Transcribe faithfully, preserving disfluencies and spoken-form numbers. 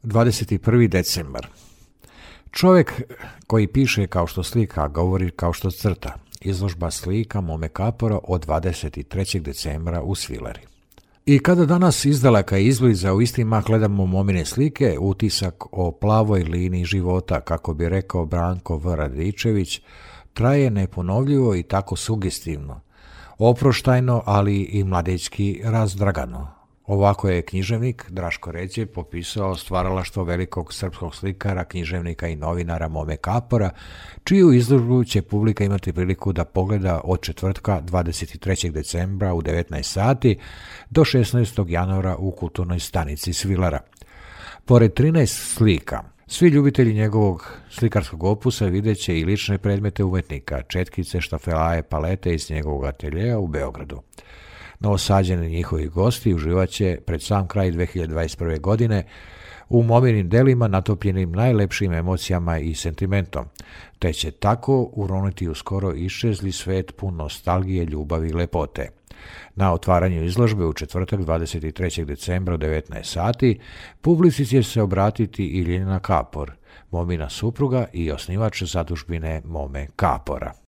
dvadeset prvi decembar. Čovjek koji piše kao što slika, govori kao što crta. Izložba slika Mome Kapora od dvadeset trećeg decembra u Svilari. I kada danas izdaleka izbliza u isti mah gledamo Momine slike, utisak o plavoj liniji života, kako bi rekao Branko V. Radičević, traje neponovljivo i tako sugestivno, oproštajno, ali i mladečki razdragano. Ovako je književnik Draško Ređe popisao stvaralaštvo velikog srpskog slikara, književnika i novinara Mome Kapora, čiju izložbu će publika imati priliku da pogleda od četvrtka dvadeset trećeg decembra u devetnaest sati do šesnaestog januara u kulturnoj stanici Svilara. Pored trinaest slika, svi ljubitelji njegovog slikarskog opusa vidjet će i lične predmete umetnika, četkice, štafelaje, palete iz njegovog ateljeja u Beogradu. Novosađeni njihovi gosti uživat će pred sam kraj dve hiljade dvadeset prve. godine u Mominim delima natopljenim najlepšim emocijama i sentimentom, te će tako uroniti u skoro iščezli svet pun nostalgije, ljubavi i lepote. Na otvaranju izložbe u četvrtak dvadeset trećeg decembra u devetnaest sati publici će se obratiti i Ljiljana Kapor, Momina supruga i osnivač zadužbine Mome Kapora.